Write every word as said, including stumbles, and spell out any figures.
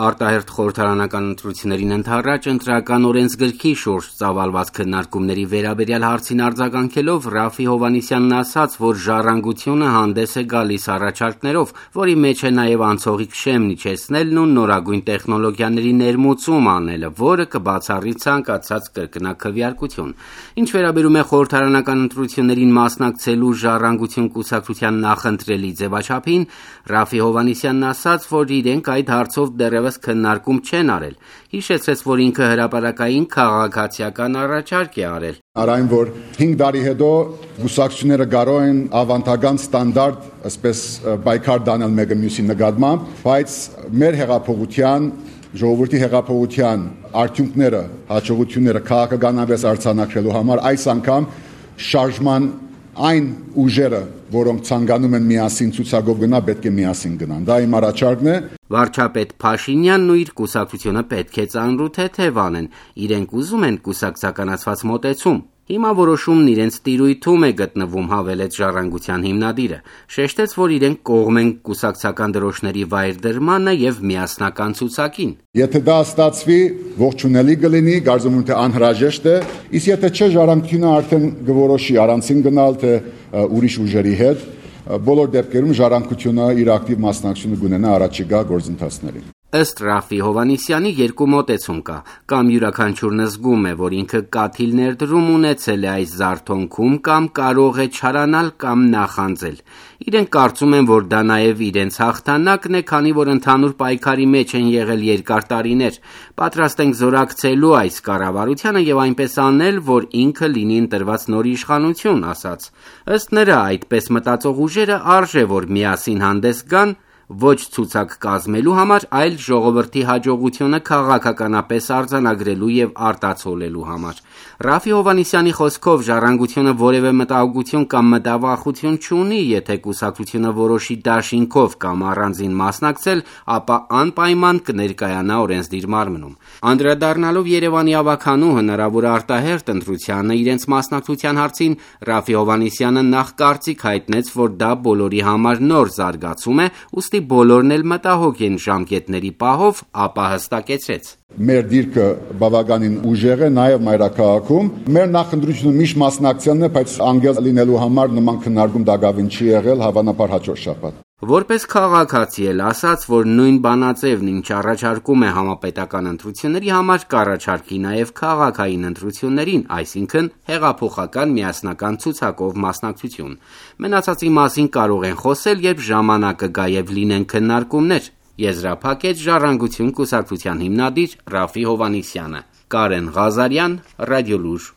Արտահերթ խորհրդարանական ընտրություններին ընդառաջ ընտրական օրենսգրքի շուրջ ծավալված քննարկումների վերաբերյալ հարցին արձագանքելով Ռաֆի Հովհաննիսյանն ասաց, որ ժառանգությունը հանդես է գալիս առաջարկներով, որի մեջ է նաև անցողիկ շեմն իջեցնելն ու նորագույն տեխնոլոգիաների ներմուծում անելը, որը կբացառի ցանկացած կրկնակքվեարկություն։ Ինչ վերաբերում է խորհրդարանական ընտրություններին մասնակցելու ժառանգություն կուսակցության նախընտրելի ձևաչափին, Ռաֆի Հովհաննիսյանն ասաց, որ իրենք այդ հարցով դեռևս քննարկում չեն արել, հիշեցրեց, որ ինքը հրապարակային քաղաքացիական առաջարկ է արել։ Արայն, որ հինգ տարի հետո կուսակցությունները կարող են ավանդական ստանդարտ, այսպես պայքար դանել մեկը մյուսի նկատմամբ, բայց մեր հեղափոխության, ժողովրդի հեղափոխության արդյունքները, հաջողությունները քաղաքականապես արձանագրելու համար այս անգամ շարժման այն ուժերը, որոնք ցանկանում են միասին ցուցակով գնա, պետք է միասին գնան։ Դա իմ առաջարկն է։ Վարչապետ Փաշինյանն ու իր կուսակցությունը պետք է ծանրու թեթև անեն, իրենք ուզում են կուսակցականացված մոտեցում։ Հիմա որոշումն իրենց տիրույթում է գտնվում, հավելեց Ժառանգության հիմնադիրը։ Շեշտեց, որ իրենք կողմ են կուսակցական դրոշների վայր դրմանը եւ միասնական ցուցակին։ Եթե դա ստացվի, ողջունելի կլինի, կարծում եմ թե անհրաժեշտ է, իսկ եթե չէ, Ժառանգությունը արդեն կորոշի առանցին գնալ թե ուրիշ ուժերի հետ, բոլոր դեպքերում Ժառանգությունը իր ակտիվ մասնակցությունը կունենա առաջիկա գործընթացներին։ Ըստ Ռաֆի Հովհաննիսյանի երկու մոտեցում կա, կամ յուրաքանչյուրն զգում է, որ ինքը կաթիլ ներդրում ունեցել է այս զարթոնքում, կամ կարող է չարանալ կամ նախանձել։ Իրենք կարծում են, որ դա նաև իրենց հաղթանակն է, քանի որ ընդհանուր պայքարի մեջ են եղել երկար տարիներ։ Պատրաստ ենք զորակցելու այս կառավարությանը եւ այնպես անել, որ ինքը լինի ընտրված նոր իշխանություն, ասաց։ Ըստ նրա, այդպես մտածող ուժերը արժե, որ միասին հանդես գան, ոչ ցուցակ կազմելու համար, այլ ժողովրդի հաջողությունը քաղաքականապես արձանագրելու եւ արտացոլելու համար։ Ռաֆի Հովհաննիսյանի խոսքով Ժառանգությունը որևէ մտահոգություն կամ մտավախություն չունի, եթե կուսակցությունը որոշի դաշինքով կամ առանձին մասնակցել, ապա անպայման կներկայանա օրենսդիր մարմնում։ Անդրադառնալով Երևանի ավականու հնարավոր արտահերթ ընտրությանը իրենց մասնակցության հարցին, Ռաֆի Հովհաննիսյանը նախ կարծիք հայտնեց, որ դա բոլորի համար նոր զարգացում է, ուստի բոլորն էլ մտահոգ են ժամկետների պահով, ապա հստակեցրեց. Մեր դիրքը բավականին ուժեղ է նաև մայրաքաղաքում։ Մեր նախընտրությունը միշտ մասնակցելն է, բայց անգամ լինելու համար նման քննարկում դակավին չի եղել, հավանաբար հաջորդ շաբաթ։ Որպես քաղաքացի էլ ասաց, որ նույն բանաձևն ինչ առաջարկում է համապետական ընտրությունների համար, կառաջարկի նաև քաղաքային ընտրություններին, այսինքն հեղափոխական միասնական ցուցակով մասնակցություն։ Մնացածի մասին կարող են խոսել, երբ ժամանակը գա եւ լինեն քննարկումներ, եզրափակեց Ժառանգություն կուսակցության հիմնադիր Ռաֆի Հովհաննիսյանը։ Կարեն Ղազարյան, Ռադիոլուր։